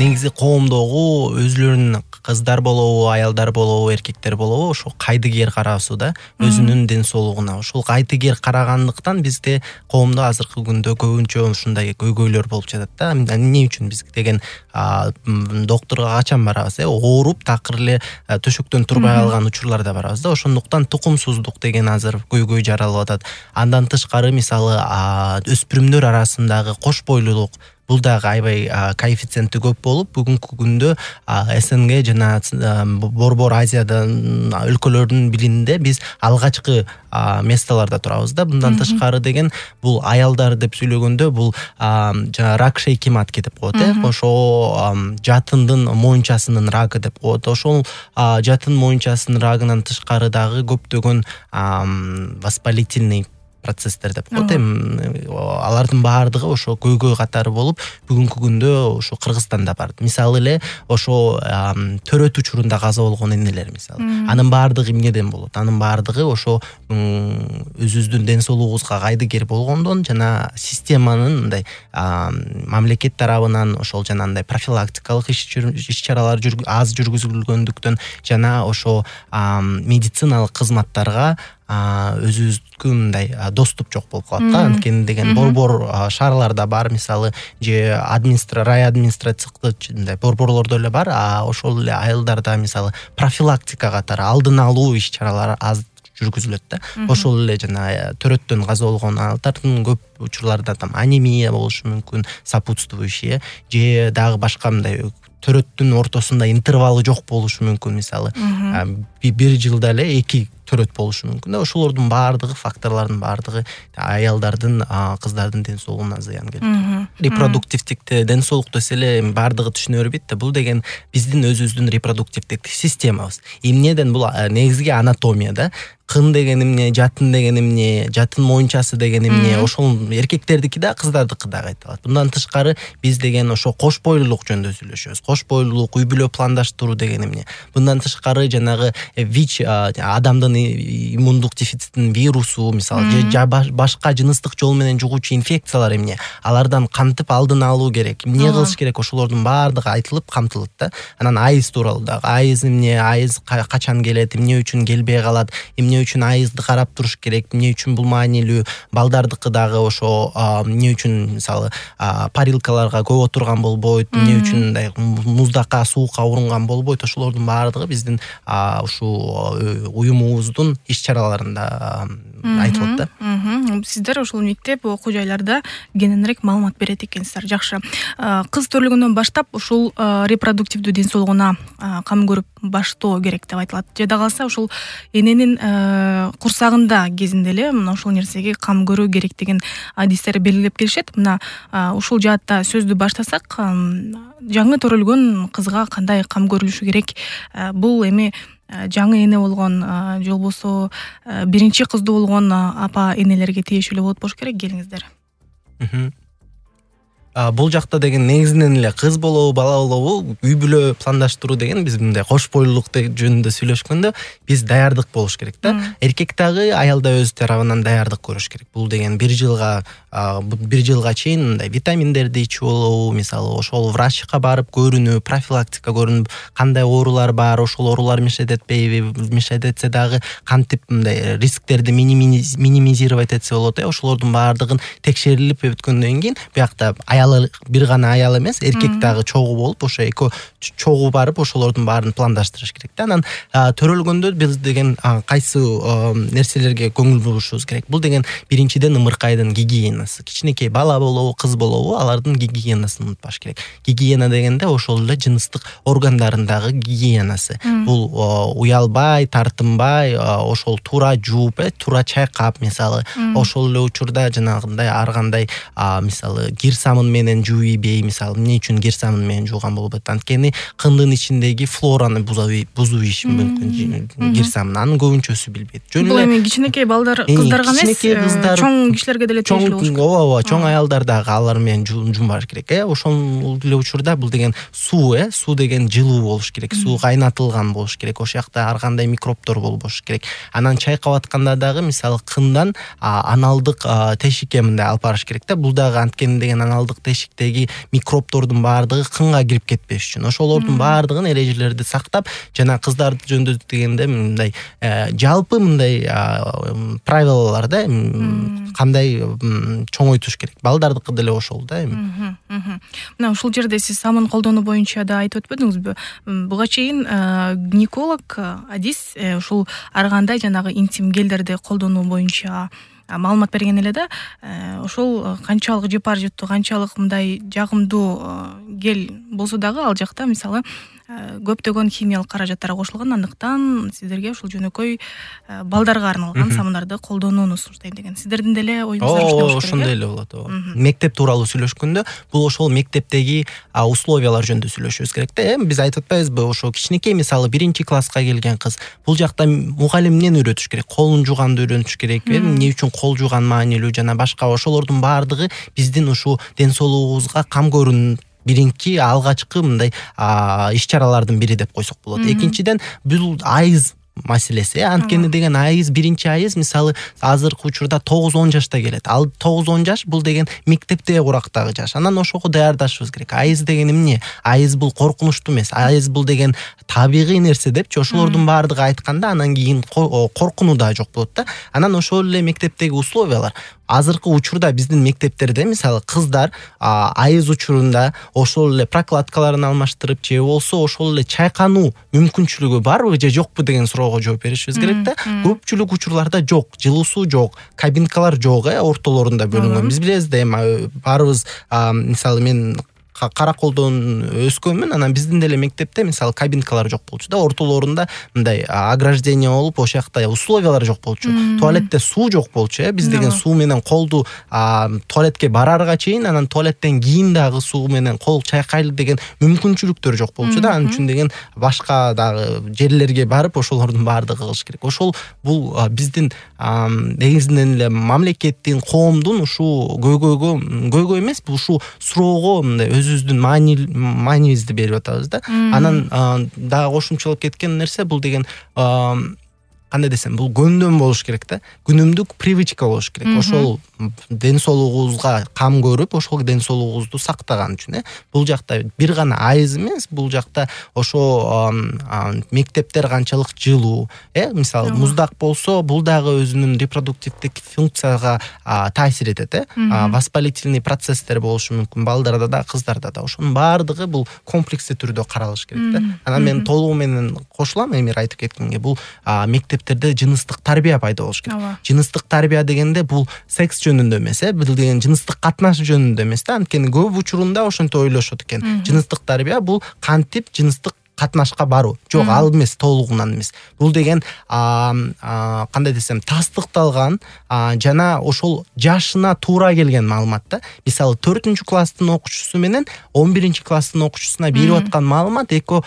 негизи коомдогу өзүлөрүнүн кыздар болобу, аялдар болобу, эркектер болобу ошо кайдыгер караусу да өзүнүн ден соолугуна. Ошол кайдыгер карагандыктан бизде коомдо азыркы күндө көбүнчө ушундай көйгөйлөр болуп жатат да. Эмне үчүн биз деген доктурга качан барабыз? Ооруп такыр эле төшөктөн турбай калган учурларда барабыз да. Ошондуктан тукумсуздук деген азыр көйгөй жаралып атат. Андан тышкары мисалы өспүрүмдөр арасындагы кош бойлуулук бул дагы аябай коэффициенти көп болуп, бүгүнкү күндө СНГ жана Борбор Азиядан өлкөлөрдүн билиминде биз алгачкы месталарда турабыз да. Мындан тышкары деген бул аялдар деп сүйлөгөндө бул жана рак шейки матки деп коет, ошо жатындын моюнчасынын рагы деп коет. Ошол жатын моюнчасынын рагынан тышкары дагы көптөгөн воспалительный процесстер деп коет. Алардын баардыгы ошо көйгөй катары болуп, бүгүнкү күндө ошо Кыргызстанда бар. Мисалы эле ошо төрөт учурунда каза болгон энелер мисалы. Анын баардыгы эмнеден болот? Анын баардыгы ошо өзүбүздүн ден соолугубузга кайдыгер болгондон жана системанын мындай мамлекет тарабынан ошол жанагындай профилактикалык иш-чаралар аз жүргүзүлгөндүктөн жана ошо медициналык кызматтарга өзүбүздүн мындай доступ жок болуп калат да. Анткени деген борбор шаарларда бар, мисалы же рай администрациялык мындай борборлордо эле бар, ошол эле айылдарда мисалы профилактика катары алдын алуу иш-чаралары аз жүргүзүлөт да. Ошол эле жана төрөттөн каза болгон аялдардын көп учурларда там анемия болушу мүмкүн, сопутствующий же дагы башка мындай төрөттүн ортосунда интервалы жок болушу мүмкүн, мисалы бир жылда эле 2 төрөт болушу мүмкүн да. Ошолордун баардыгы факторлордун баардыгы аялдардын, кыздардын ден соолугуна зыян келтирет. Репродуктивдик ден соолук десе эле баардыгы түшүнө бербейт да. Бул деген биздин өзүбүздүн репродуктивдик системабыз. Эмнеден бул негизги анатомия да. Кын деген эмне, жатын деген эмне, жатын моюнчасы деген эмне, ошол эркектердики да, кыздардыкы да айтылат. Мындан тышкары биз деген ошо кош бойлуулук жөнүндө сүйлөшөбүз. Кош бойлуулук, үй бүлө пландаштыруу деген эмне. Мындан тышкары жанагы ВИЧ, адамдын иммундук дефицитинин вирусу, мисалы, же башка жыныстык жол менен жугуучу инфекциялар эмне, алардан кантип алдын алуу керек, эмне кылыш керек, ошолордун баардыгы айтылып камтылат да. Анан айыз тууралуу дагы, айыз эмне, айыз качан келет, эмне үчүн келбей калат, эмне үчүн айызды карап туруш керек, эмне үчүн бул маанилүү, балдардыкы дагы ошо эмне үчүн мисалы парилкаларга көп отурган болбойт, эмне үчүн мындай муздакка, суукка орунган болбойт, ошолордун баардыгы биздин ушул уюмубуздун иш-чараларында айтылат да. Сиздер ошол мектеп, окуу жайларда кеңирээк маалымат берет экенсиздер. Жакшы. Кыз төрөлгөндөн баштап ушул репродуктивдүү ден соолугуна кам көрүп баштоо керек деп айтылат. Жада калса ушул эненин курсагында кезинде эле мына ошол нерсеге кам көрүү керек деген адистер белгилеп келишет. Мына ушул жаатта сөздү баштасак, жаңы төрөлгөн кызга кандай кам көрүлүшү керек? Бул эми жаңы эне болгон же болбосо биринчи кыздуу болгон апа энелерге тиешелүү болот болуш керек, келиңиздер. Бул жакта деген негизинен эле кыз болобу, бала болобу, үй бүлө пландаштыруу деген биз мындай кош бойлуулук жөнүндө сүйлөшкөндө биз даярдык болуш керек да. Эркек дагы, аял да өз тарабынан даярдык көрүш керек. Бул деген бир жылга чейин мындай витаминдерди ичүү болобу, мисалы ошол врачка барып көрүнүп, профилактика көрүнүп, кандай оорулар бар, ошол оорулар мешает этпейби, мешает этсе дагы кантип мындай рисктерди минимизировать этсе болот. Ошолордун баардыгын текшерилип өткөндөн кийин биякта бир гана аял эмес, эркек дагы чогуу болуп, ошо эки чогуу барып ошолордун баарын пландаштырыш керек да. Анан төрөлгөндө биз деген кайсы нерселерге көңүл бурушубуз керек? Бул деген биринчиден ымыркайдын гигиенасы. Кичинекей бала болобу, кыз болобу, алардын гигиенасын унутпаш керек. Гигиена дегенде ошол эле жыныстык органдарындагы гигиенасы. Бул уялбай, тартынбай, ошол туура жууп, туура чайкап, мисалы, ошол эле учурда жанагындай ар кандай мисалы кир самын менен жууйбей, мисалы, эмне үчүн кир самын менен жууган болбойт? Анткени кындын ичиндеги флораны бузуу иши мүмкүн кир самын. Анын көбүнчөсү билбейт. Бул эми кичинекей балдар, кыздарга эмес, чоң кишилерге деле тиешелүү болуш керек. Ооба, чоң аялдар дагы алар менен жуунбаш керек. Ошол эле учурда бул деген суу деген жылуу болуш керек. Суу кайнатылган болуш керек. Ошол жакта ар кандай микробдор болбош керек. Анан чайкап атканда дагы мисалы кындан аналдык тешикке мындай алып барыш керек да. Бул дагы анткени деген аналдык жыныстык тешиктеги микробдордун баардыгы кынга кирип кетпеш үчүн ошолордун баардыгын ережелерди сактап жана кыздар жөнүндө дегенде мындай жалпы мындай правилалар да кандай чоңойтуш керек балдардыкы деле ошол да эми. Мына ушул жерде сиз самын колдонуу боюнча да айтып өтпөдүңүзбү? Буга чейин гинеколог адис ушул ар кандай жанагы интим гелдерди колдонуу боюнча маалымат берген эле да. Ошол канчалык жыпар жыттуу, канчалык мындай жагымдуу гел болсо дагы ал жакта мисалы көптөгөн химиялык каражаттар кошулган, андыктан сиздерге ушул жөнөкөй балдарга арналган самындарды колдонууну сунуштайм деген. Сиздердин деле оюңуздар ушундай болуш керек. Ошондой эле болот. Мектеп тууралуу сүйлөшкөндө бул ошол мектептеги условиялар жөнүндө сүйлөшүбүз керек да. Биз айтып атпайбызбы, ошо кичинекей мисалы 1-класска келген кыз, бул жакта мугалимден үйрөтүш керек, колун жууганды үйрөнүш керек, эмне үчүн кол жууган маанилүү жана башка ошолордун баардыгы биздин ушул ден соолугубузга кам көрүүнүн биринки алгачкы мындай иш чаралардын бири деп койсок болот. Экинчиден бул айыз маселеси. Анткени деген айыз, биринчи айыз мисалы азыркы учурда 9-10 жашта келет. Ал 9-10 жаш бул деген мектепте курактагы жаш. Анан ошого даярдашыбыз керек. Айыз деген эмне? Айыз бул коркунучтуу эмес. Айыз бул деген табигый нерсе депчи. Ошолордун баардыгы айтканда анан кийин коркунуу да жок болот да. Анан ошол эле мектептеги условиялар. Азыркы учурда биздин мектептерде мисалы кыздар айыз учурунда ошол эле прокладкаларын алмаштырып же болсо ошол эле чайкануу мүмкүнчүлүгү барбы же жокпу деген суроого жооп беришибиз керек да. Көпчүлүк учурларда жок, жылуу суу жок, кабинкалар жок, ортолорунда бөлүнгөн. Биз билебиз да эми баарыбыз мисалы мен Караколдон өскөнмүн, анан биздин деле мектепте мисалы кабинкалар жок болчу да, ортолорунда мындай ограждение болуп, ошол жакта условиялар жок болчу. Туалетте суу жок болчу, биз деген суу менен колду туалетке барарга чейин, анан туалеттен кийин дагы суу менен кол чайкайлы деген мүмкүнчүлүктөр жок болчу да. Анын үчүн деген башка дагы жерлерге барып ошолордун баардыгы кылыш керек. Ошол бул биздин негизинен эле мамлекеттин, коомдун ушул көйгөй эмес, бул ушул суроого мындай өзүбүздүн маанибизди берип атабыз да. Анан дагы кошумчалап кеткен нерсе бул деген кандай десем, бул көндөн болуш керек да. Күнүмдүк привычка болуш керек. Ошол ден соолугубузга кам көрүп, ошол ден соолугубузду сактаган үчүн бул жакта бир гана айыз эмес, бул жакта ошо мектептер канчалык жылуу, мисалы муздак болсо, бул дагы өзүнүн репродуктивдик функцияга таасир этет, воспалительный процесстер болушу мүмкүн балдарда да, кыздарда да. Ошонун баардыгы бул комплекстүү түрдө каралыш керек да. Анан мен толугу менен кошулам Эмир айтып кеткенге, бул мектептерде жыныстык тарбия пайда болуш керек. Жыныстык тарбия дегенде бул секс жөнүндө эмес, бул деген жыныстык катнаш жөнүндө эмес да. Анткени көп учурунда ошентип ойлошот экен. Жыныстык тарбия бул кантип жыныстык катнашка баруу. Жок, ал эмес, толугунан эмес. Бул деген кандай десем, тастыкталган жана ошол жашына туура келген маалымат да. Мисалы 4-класстын окуучусу менен 11-класстын окуучусуна берип аткан маалымат эки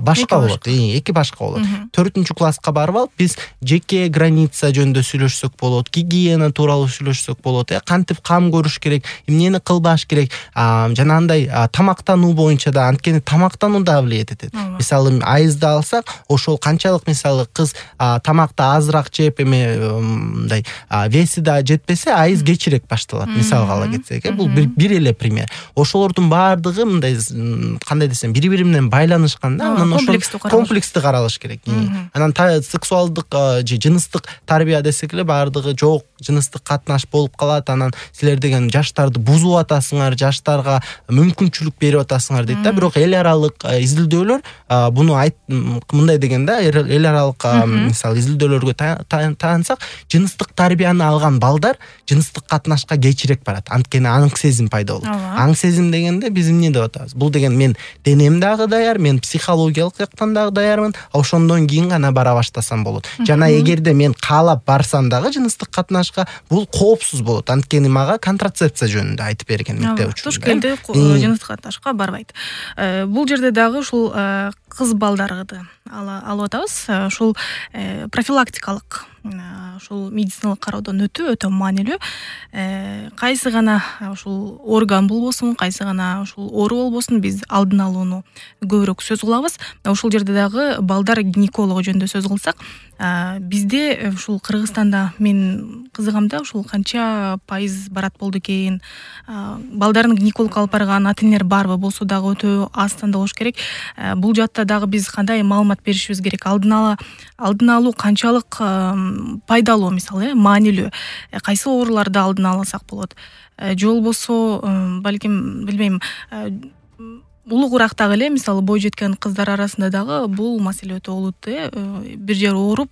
башка болот. Эки башка болот. 4-класска барып алып биз жеке граница жөнүндө сүйлөшсөк болот, гигиена тууралуу сүйлөшсөк болот, кантип кам көрүш керек, эмнени кылбаш керек, жана андай тамактануу боюнча да, анткени тамактануу да влиять этет. Мисалы айызды алсак, ошол канчалык мисалы кыз тамакты азыраак жеп, мындай веси да жетпесе, айыз кечирээк башталат. Мисалга ала кетсек, бул бир эле пример. Ошолордун баардыгы мындай кандай десем, бири-бири менен байланышкан да. Анан ошол комплекстүү каралыш керек. Анан сексуалдык же жыныстык тарбия десек эле баардыгы жок, жыныстык катнаш болуп калат. Анан силер деген жаштарды бузуп атасыңар, жаштарга мүмкүнчүлүк берип атасыңар дейт да. Бирок эл аралык изилдөөлөр буну мындай деген да, эл аралык мисалы изилдөөлөргө таянсак, жыныстык тарбияны алган балдар жыныстык катнашка кечирээк барат. Анткени аң сезим пайда болот. Аң сезим дегенде биз эмне деп атабыз? Бул деген мен денем дагы даяр, мен психологиялык жактан дагы даярмын, ошондон кийин гана бара баштасам болот. Жана эгерде мен каалап барсам дагы жыныстык катнашка, бул коопсуз болот. Анткени мага контрацепция жөнүндө айтып берген мектеп учурунда. Туш келди, жыныстык катнашка барбайт. Бул жерде дагы ушул кыз балдарды алып атабыз. Ушул профилактикалык ушул медициналык кароодон өтүү маанилүү. Кайсы гана ушул орган болбосун, кайсы гана ушул оору болбосун, биз алдын алууну көбүрөөк сөз кылабыз. Ушул жерде дагы балдар гинекологу жөнүндө сөз кылсак, бизде ушул Кыргызстанда мен кызыгам да, ушул канча пайыз барат болду экен. Балдарын гинекологко алып барган ата энелер барбы, болсо дагы өтө аз санда болуш керек. Бул жакта дагы биз кандай маалымат беришибиз керек? Алдын алуу канчалык пайдалуу, мисалы, маанилүү? Кайсы ооруларды алдын алсак болот? Же болбосо, балким, билбейм, улуугураак дагы эле, мисалы, бой жеткен кыздар арасында дагы бул маселе өтө олуттуу. Бир жери ооруп,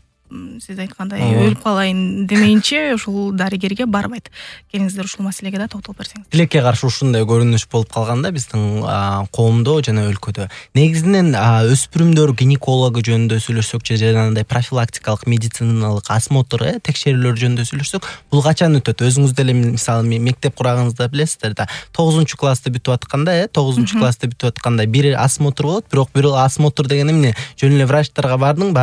сиз айткандай өлүп калайын демейинче ушул дарыгерге барбайт. Келиңиздер ушул маселеге да токтолуп берсеңиз. Тилекке каршы ушундай көрүнүш болуп калганда биздин коомдо жана өлкөдө. Негизинен өспүрүмдөр гинекологу жөнүндө сүйлөшсөк же жанагындай профилактикалык медициналык осмотр, текшерүүлөр жөнүндө сүйлөшсөк, бул качан өтөт? Өзүңүз деле мисалы мектеп курагыңызда билесиздер да. 9-классты бүтүп атканда, 9-классты бүтүп атканда бир осмотр болот, бирок бир осмотр деген эмне? Жөн эле врачтарга бардың,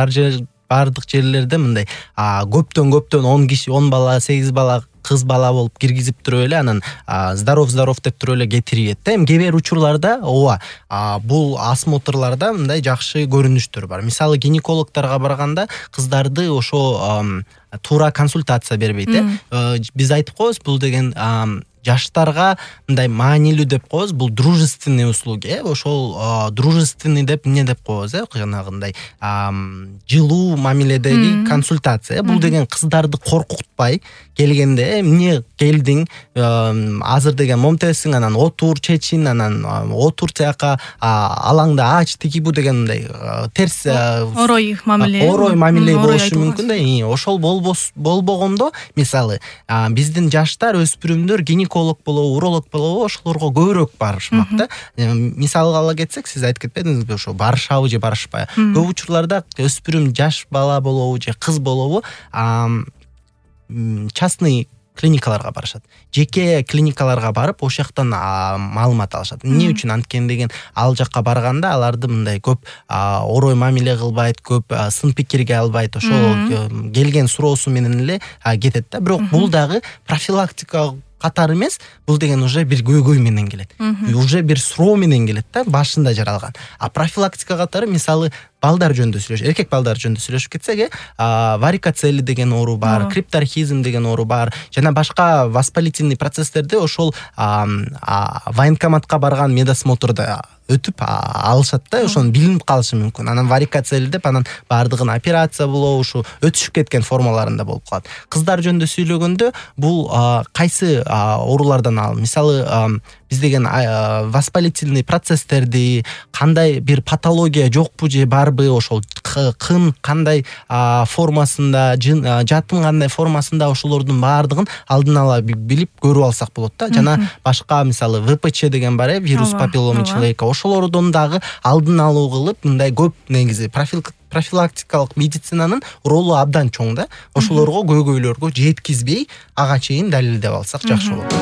бардык жерлерде мындай көптөн 10 киши, 10 бала, 8 бала, кыз бала болуп киргизип туруп эле, анан здоров деп туруп эле кетирет да. Эми кээ бир учурларда бул осмотрларда мындай жакшы көрүнүштөр бар. Мисалы гинекологторго барганда кыздарды ошо туура консультация бербейт. Биз айтып коебуз, бул деген жаштарга мындай маанилүү деп коебуз, бул дружественный услуги, ошол дружественный деп эмне деп коебуз, жанагындай жылуу мамиледеги консультация. Бул деген кыздарды коркутпай келгенде, эмне келдиң, азыр деген момтесиң, анан отур, чечин, анан отур тияка, алаңда ач, тиги бу деген мындай терс орой мамиле болушу мүмкүн да. Ошол болбогондо, мисалы, биздин жаштар, өспүрүмдөр гинеколог болобу, уролог болобу, ошолорго көбүрөөк барышмак да. Мисалга ала кетсек, сиз айтып кетпедиңизби, ошо барышабы же барышпайбы? Көп учурларда өспүрүм жаш бала болобу же кыз болобу, частный клиникаларга барышат. Жеке клиникаларга барып, ошол жактан маалымат алышат. Эмне үчүн анткени деген, ал жакка барганда аларды мындай көп орой мамиле кылбайт, көп сын пикирге албайт, ошол келген суроосу менен эле кетет да. Бирок бул дагы профилактика катары эмес, бул деген уже бир көйгөй менен келет. Уже бир суроо менен келет да, башында жаралган. Профилактика катары, мисалы, балдар жөнүндө сүйлөшөбүз, эркек балдар жөнүндө сүйлөшүп кетсек, варикоцели деген оору бар, крипторхизм деген оору бар, жана башка воспалительный процесстерди ошол военкоматка барган медосмотрда өтүп алышат да, ошону билинип калышы мүмкүн. Анан варикоцели деп, анан бардыгын операция болобу, ушу өтүшүп кеткен формаларында болуп калат. Кыздар жөнүндө сүйлөгөндө, бул кайсы оорулардан мисалы, биз деген воспалительный процесстерди, кандай бир патология жокпу же барбы, ошол кын кандай формасында, жатын кандай формасында, ошолордун баардыгын алдын ала билип көрүп алсак болот да. Жана башка, мисалы, ВПЧ деген бар, вирус папиллома человека, ошолордон дагы алдын алуу кылып, мындай көп негизи профилактикалык медицинанын ролу абдан чоң да. Ошолорго көйгөйлөргө жеткизбей, ага чейин далилдеп алсак жакшы болот.